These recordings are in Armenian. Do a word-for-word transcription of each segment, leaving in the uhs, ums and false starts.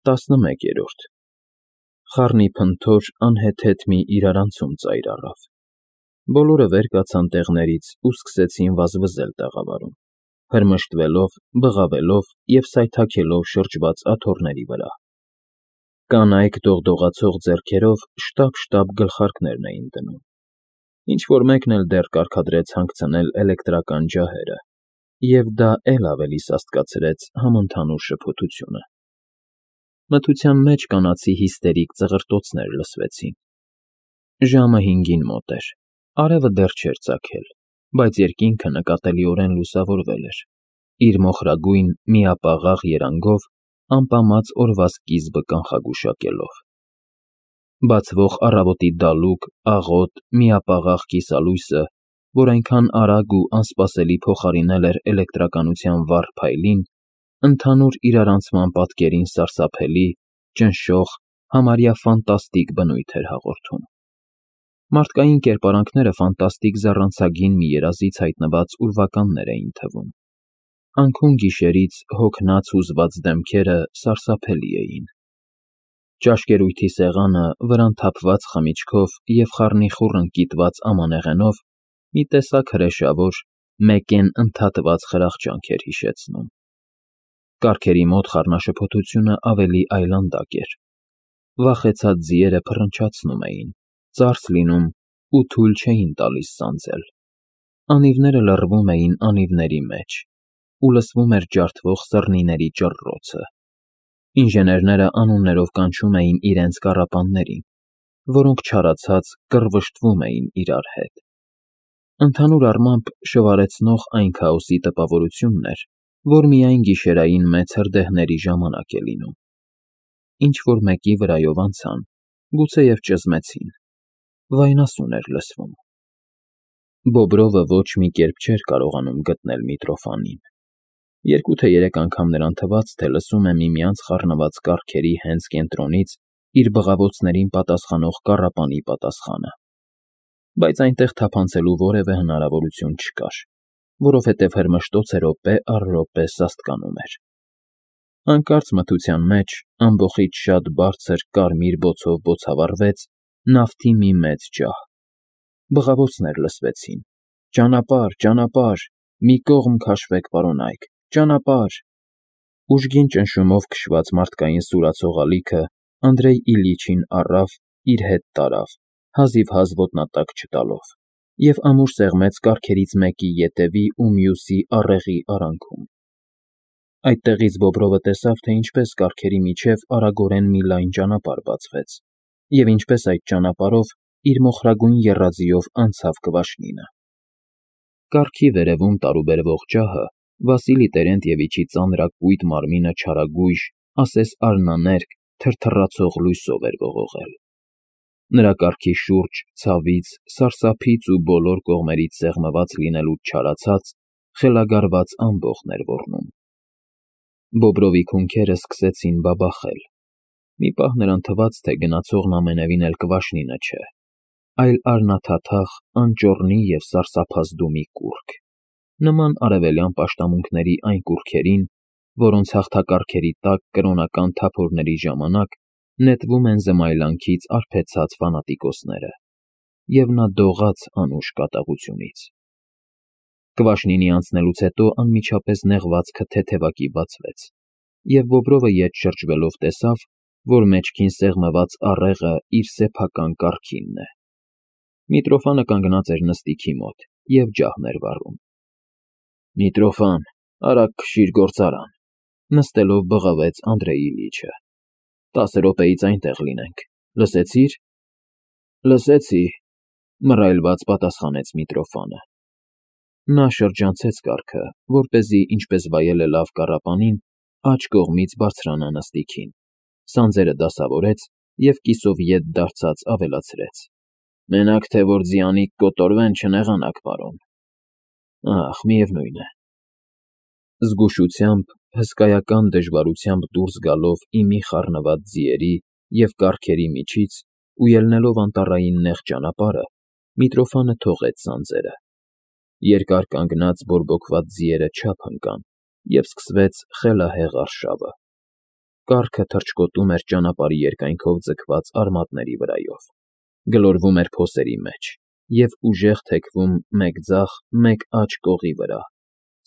տասնմեկերորդ Խառնիփնթոր անհեթեթ մի իրարանցում ծայր առավ, բոլորը վեր կացան տեղներից ու սկսեցին վազվզել տաղավարում, հրմշտվելով, բղավելով և սայթաքելով շրջված աթոռների վրա. կանայք դողդողացող ձեռքերով շտապ-շտապ գլխարկներն էին դնում, ինչ֊որ մեկն էլ դեռ կարգադրեց հանգցնել էլեկտրական ջահերը, և դա էլ ավելի սաստկացրեց համընդհանուր շփոթությունը: Մթության մեջ կանացի հիստերիկ ծղրտոցներ լսվեցին: Ժամը հինգին մոտ էր, արևը դեռ չէր ծագել, բայց երկինքը նկատելիորեն լուսավորվել էր, իր մոխրագույն, միապաղաղ երանգով ամպամած օրվա սկիզբը կանխագուշակելով: Բացվող առավոտի դալուկ, աղոտ, միապաղաղ կիսալույսը, որ այնքան արագ ու անսպասելի փոխարինել էր էլեկտրականության վառ փայլին, ընդհանուր իրարանցման պատկերին սարսափելի, ճնշող, համարյա ֆանտաստիկ բնույթ էր հաղորդում: Մարդկային կերպարանքները ֆանտաստիկ զառանցագին մի երազից հայտնված ուրվականներ էին թվում: Անքուն-գիշերից հոգնած հուզված դեմքերը սարսափելի էին: Ճաշկերույթի սեղանը վրան թափված խմիչքով և խառնիխուռ ընկիտված ամանեղենով մի տեսակ հրեշավոր, մեկեն ընդհատված խրախճանք էր հիշեցնում: Կառքերի մոտ խառնաշփոթությունը ավելի այլանդակ էր: Վախեցած ձիերը փռնչացնում էին, ծարս լինում ու թույլ չէին տալիս սանձել: Անիվները լռվում էին անիվների մեջ, ու լսվում էր ջարդվող սռնիների ճռռոցը: Ինժեներները անուններով կանչում էին իրենց կառապաններին, որոնք չարացած կռվշտվում էին իրար հետ: Ընդհանուր առմամբ շվարեցնող այն քաոսի տպավորությունն էր, որ միայն գիշերային մեծ հրդեհների ժամանակ է լինում: Ինչ-որ մեկի վրայով անցան, գուցեև ճզմեցին, վայնասուն էր լսվում: Բոբրովը ոչ մի կերպ չէր կարողանում գտնել Միտրոֆանին: Երկու թե երեք անգամ նրան թվաց, թե լսում է միմյանց խառնված կառքերի հենց կենտրոնից իր բղավոցներին պատասխանող կառապանի պատասխանը: Բայց այնտեղ թափանցելու որևէ հնարավորություն չկար, որովհետև հրմշտոցը րոպե առ րոպե սաստկանում էր: Հանկարծ մթության մեջ ամբոխից շատ բարձր կարմիր բոցով բոցավառվեց նավթի մի մեծ ջահ: Բղավոցներ լսվեցին. «Ճանապարհ, ճանապարհ, մի կողմ քաշվեք, պարոնայք, ճանապարհ»: Ուժգին ճնշումով քշված մարդկային սուրացող ալիքը Անդրեյ Իլյիչին առավ, իր հետ տարավ, հազիվհազ ոտնատակ չտալով, և ամուր սեղմեց կառքերից մեկի ետևի ու մյուսի առեղի արանքում: Այդտեղից Բոբրովը տեսավ, թե ինչպես կառքերի միջև արագորեն մի լայն ճանապարհ բացվեց, և ինչպես այդ ճանապարհով իր մոխրագույն եռաձիով անցավ Կվաշնինը: Կառքի վերևում տարուբերվող ջահը Վասիլի Տերենտևիչի ծանրակույտ մարմինը չարագույժ, ասես արնաներկ, թրթռացող լույսով էր ողողել: Նրա կառքի շուրջ ցավից, սարսափից ու բոլոր կողմերից սեղմված լինելուց չարացած, խելագարված ամբոխն էր ոռնում: Բոբրովի քունքերը սկսեցին բաբախել: Մի պահ նրան թվաց, թե գնացողն ամենևին էլ Կվաշնինը չէ, այլ արնաթաթախ, անճոռնի և սարսափազդու մի կուռք, նման արևելյան պաշտամունքների այն կուռքերին, որոնց հաղթակառքերի տակ կրոնական թափորների ժամանակ նետվում են զմայլանքից արբեցած ֆանատիկոսները: Եվ նա դողաց անուշ կատաղությունից: Կվաշնինի անցնելուց հետո անմիջապես նեղվածքը թեթևակի բացվեց, և Բոբրովը ետ շրջվելով տեսավ, որ մեջքին սեղմված առեղը իր սեփական կառքինն է: Միտրոֆանը կանգնած էր նստիքի մոտ և ջահն էր վառում: Միտրոֆան, արագ քշիր գործարան, նստելով բղավեց Անդրեյ Իլյիչը: Տասը րոպեից այնտեղ լինենք, լսեցի՞ր: Լսեցի, մռայլված պատասխանեց Միտրոֆանը: Նա շրջանցեց կառքը, որպեսզի, ինչպես վայել է լավ կառապանին, աջ կողմից բարձրանա նստիքին, սանձերը դասավորեց և կիսով ետ դարձած ավելացրեց. Մենակ թե որ ձիանիկ կոտորվեն, չնեղանաք, պարոն: Ախ, միևնույն է: Զգուշությամբ, հսկայական դժվարությամբ դուրս գալով ի մի խառնված ձիերի և կառքերի միջից ու ելնելով անտառային նեղ ճանապարհը, Միտրոֆանը թողեց սանձերը: Երկար կանգնած բորբոքված ձիերը չափ ընկան, և սկսվեց խելահեղ արշավը: կառքը թռչկոտում էր ճանապարհի երկայնքով ձգված արմատների վրայով, գլորվում էր փոսերի մեջ և ուժեղ թեքվում մեկ ձախ, մեկ աջ կողի վրա,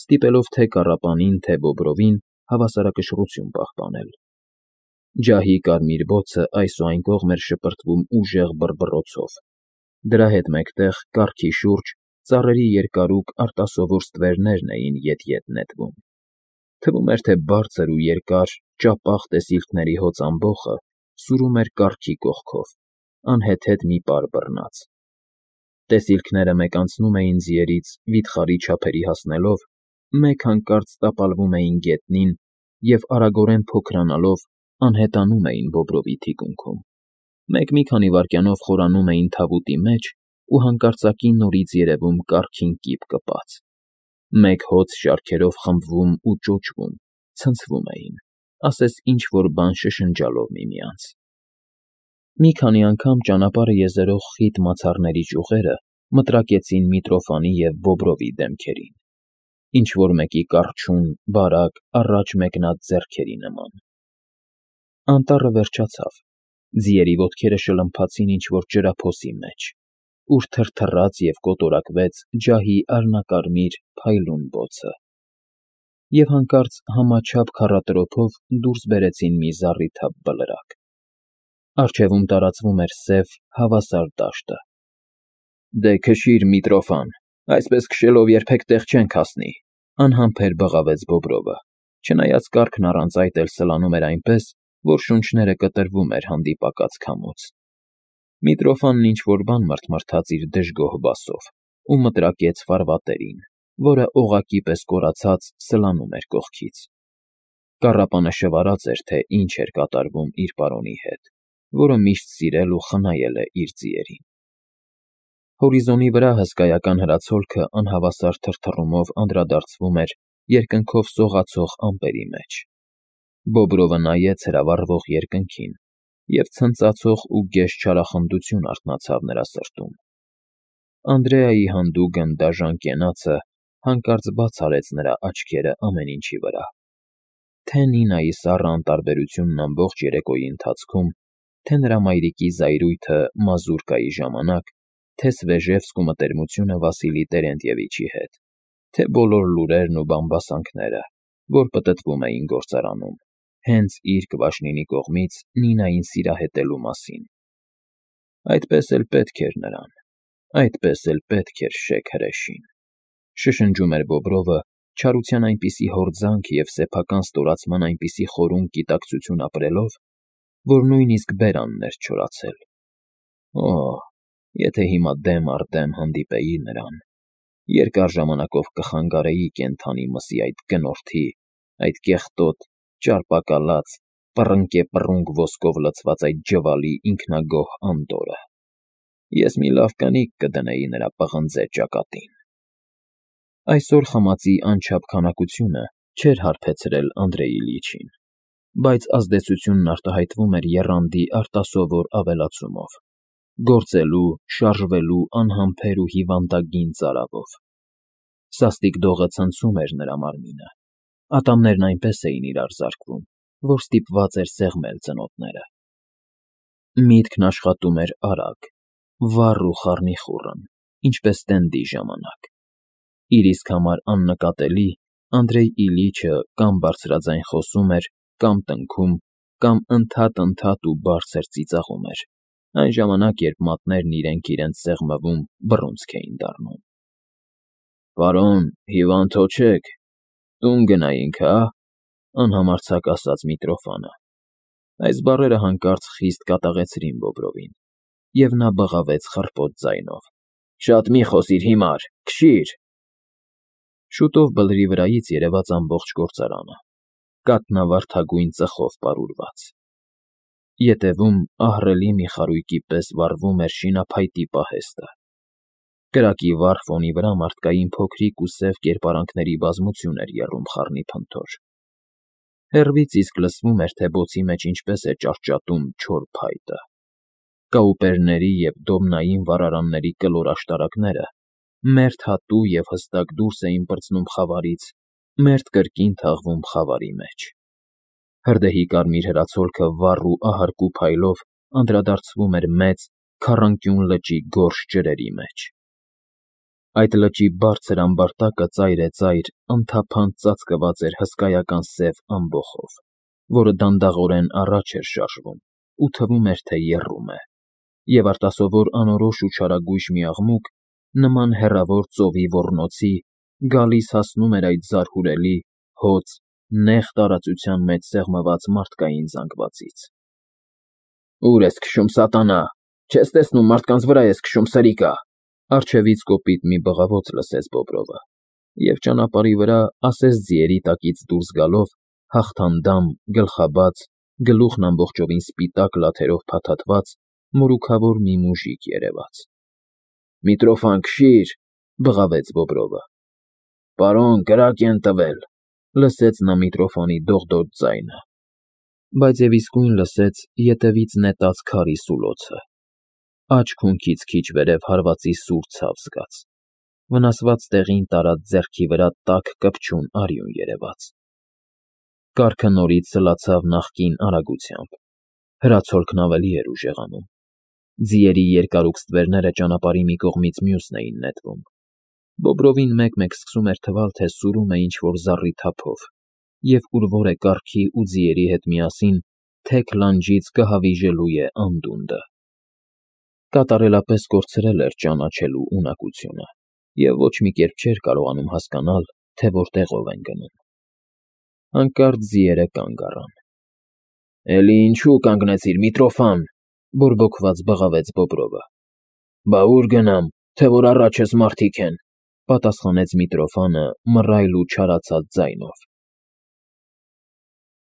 ստիպելով թե կառապանին, թե բոբրովին հավասարակշռություն պահպանել։ Ջահի կարմիր բոցը այս ու այն կողմ էր շպրտվում ուժեղ բռբռոցով, դրա հետ մեկտեղ կառքի շուրջ ծառերի երկարուկ արտասովոր ստվերներն էին ետ֊ետ նետվում։ Թվում էր, թե բարձր ու երկար, ճապաղ տեսիլքների հոծ ամբոխը սուրում էր կառքի կողքով, անհեթեթ մի պար բռնած։ Տեսիլքները մեկ անցնում էին ձիերից վիթխարի չափերի հասնելով, մեկ հանկարծ տապալվում էին գետնին և արագորեն փոքրանալով անհետանում էին Բոբրովի թիկունքում, մեկ մի քանի վայրկյանով խորանում էին թավուտի մեջ ու հանկարծակի նորից երևում կառքին կիպ կպած, մեկ հոծ շարքերով խմբվում ու ճոճվում, ցնցվում էին, ասես ինչ֊որ բան շշնջալով միմյանց։ Մի քանի անգամ ճանապարհը եզերող խիտ մացառների ճյուղերը մտրակեցին Միտրոֆանի և Բոբրովի դեմքերին, ինչ֊որ մեկի կառչուն, բարակ, առաջ մեկնած ձեռքերի նման։ Անտառը վերջացավ, ձիերի ոտքերը շլմփացին ինչ֊որ ջրափոսի մեջ, ուր թրթռաց և կոտորակվեց ջահի արհնակարմիր, փայլուն բոցը, և հանկարծ համաչափ քառատրոփով դուրս բերեցին մի զառիթափ բլրակ։ Առջևում տարածվում էր սև, հավասար դաշտը։ ֊ Դե քշիր, Միտրոֆան, այսպես քշելով երբեք տեղ չենք հասնի,֊ անհամբեր բղավեց Բոբրովը, չնայած կառքն առանց այդ էլ սլանում էր այնպես, որ շունչները կտրվում էր հանդիպակաց քամուց։ Միտրոֆանն ինչ֊որ բան մռթմռթաց իր դժգոհ բասով ու մտրակեց ֆարվատերին, որը օղակի պես կորացած սլանում էր կողքից։ Կառապանը շվարած էր, թե ինչ էր կատարվում իր պարոնի հետ, որը միշտ սիրել ու խնայել է իր ձիերին։ Հորիզոնի վրա հսկայական հրացոլքը անհավասար թրթռումով անդրադարձվում էր երկնքով սողացող ամպերի մեջ։ Բոբրովը նայեց հրավառվող երկնքին, և ցնծացող ու գեշ չարախնդություն արթնացավ նրա սրտում։ Անդրեայի հանդուգն դաժան կենացը հանկարծ բաց արեց նրա աչքերը ամեն ինչի վրա, թե՛ Նինայի սառը անտարբերությունն ամբողջ երեկոյի ընթացքում, թե՛ նրա մայրիկի զայրույթը մազուրկայի ժամանակ, թե՛ Սվեժևսկու մտերմությունը Վասիլի Տերենտևիչի հետ, թե՛ բոլոր լուրերն ու բամբասանքները, որ պտտվում էին գործարանում, հենց իր՝ Կվաշնինի կողմից Նինային սիրահետելու մասին։ Այդպես էլ պետք էր նրան, այդպես էլ պետք էր շեկ հրեշին,֊ շշնջում էր Բոբրովը, չարության այնպիսի հորձանք և սեփական ստորացման այնպիսի խորուն գիտակցություն ապրելով, որ նույնիսկ բերանն էր չորացել։ Օ՜, եթե հիմա դեմ առ դեմ հանդիպեի նրան, երկար ժամանակով կխանգարեի կենդանի մսի այդ գնորդի, այդ կեղտոտ, ճարպակալած, պռնկեպռունկ ոսկով լցված այդ ջվալի ինքնագոհ անդորրը, ես մի լավ կնիկ կդնեի նրա պղնձե ճակատին։ Այսօր խմածի անչափ քանակությունը չէր հարբեցրել Անդրեի լիչին, բայց ազդեցությունն արտահայտվում էր եռանդի արտասովոր ավելացումով, գործելու, շարժվելու անհամբեր ու հիվանդագին ծարավով։ Սաստիկ դողը ցնցում էր նրա մարմինը, ատամներն այնպես էին իրար զարկվում, որ ստիպված էր սեղմել ծնոտները։ Միտքն աշխատում էր արագ, վառ ու խառնիխուռն, ինչպես տենդի ժամանակ։ Իր իսկ համար աննկատելի, Անդրեյ Իլիչը կամ բարձրաձայն խոսում էր, կամ տնքում, կամ ընդհատ֊ընդհատ ու բարձր ծիծաղում էր, այն ժամանակ, երբ մատներն իրենք իրենց սեղմվում, բռունցք էին դառնում։ ֊ Պարոն, հիվանդ հո չեք, տուն գնայինք, հա՞, անհամարձակ ասաց Միտրոֆանը։ Այս բառերը հանկարծ խիստ կատաղեցրին Բոբրովին, և նա բղավեց խռպոտ ձայնով. ֊ Շատ մի խոսիր, հիմար, քշի՛ր… Շուտով բլրի վրայից երևաց ամբողջ գործարանը, կաթնավարդագույն ծխով պարուրված։ Ետևում ահռելի մի խարույկի պես վառվում էր շինափայտի պահեստը։ Կրակի վառ ֆոնի վրա մարդկային փոքրիկ ու սև կերպարանքների բազմություն էր եռում խառնիփնթոր։ Հեռվից իսկ լսվում էր, թե բոցի մեջ ինչպես է ճարճատում չոր փայտը։ Կաուպերների և դոմնային վառարանների կլոր աշտարակները մերթ հատու և հստակ դուրս էին պրծնում խավարից, մերթ կրկին թաղվում խավարի մեջ։ Հրդեհի կարմիր հրացոլքը վառ ու ահարկու փայլով անդրադարձվում էր մեծ, քառանկյուն լճի գորշ ջրերի մեջ։ Այդ լճի բարձր ամբարտակը ծայրեծայր, անթափանց ծածկված էր հսկայական սև ամբոխով, որը դանդաղորեն առաջ էր շարժվում ու թվում էր, թե եռում է, և արտասովոր անորոշ ու չարագույժ մի աղմուկ, նման հեռավոր ծովի ոռնոցի, գալիս հասնում էր այդ զարհուրելի, հոծ, նեղ տարածության մեջ սեղմված մարդկային զանգվածից։ ֊ Ո՞ւր ես քշում, սատանա, չես տեսնում մարդկանց վրա ես քշում, սրիկա,֊ առջևից կոպիտ մի բղավոց լսեց Բոբրովը, և ճանապարհի վրա, ասես ձիերի տակից դուրս գալով, հաղթանդամ, գլխաբաց, գլուխն ամբողջովին սպիտակ լաթերով փաթաթված, մորուքավոր մի մուժիկ երևաց։ ֊ Միտրոֆան, քշի՛ր,֊ բղավեց Բոբրովը։ ֊ Պարոն, կրակ են տվել,֊ լսեց նա Միտրոֆանի դողդոջ ձայնը, բայց և իսկույն լսեց ետևից նետած քարի սուլոցը, աջ քունքից քիչ վերև հարվածի սուր ցավ զգաց, վնասված տեղին տարած ձեռքի վրա տաք կպչուն արյուն երևաց։ Կառքը նորից սլացավ նախկին արագությամբ, հրացոլքն ավելի էր ուժեղանում, ձիերի երկարուկ ստվերները ճանապարհի մի կողմից մյուսն էին նետվում, Բոբրովին մեկ֊մեկ սկսում էր թվալ, թե սուրում է ինչ֊որ զառի թափով և ուրվոր է կառքի ու ձիերի հետ միասին թեք լանջից կհավիժելու է անդունդը։ Կատարելապես կորցրել էր ճանաչելու ունակությունը և ոչ մի կերպ չէր կարողանում հասկանալ, թե որտեղով են գնում։ Հանկարծ ձիերը կանգ առան։ ֊ Էլի ինչու կանգնեցիր, Միտրոֆան,֊ բորբոքված բղավեց Բոբրովը։ ֊ Բա ուր գնամ, թե որ առաջս մարդիկ են,֊ պատասխանեց Միտրոֆանը մռայլ ու չարացած ձայնով։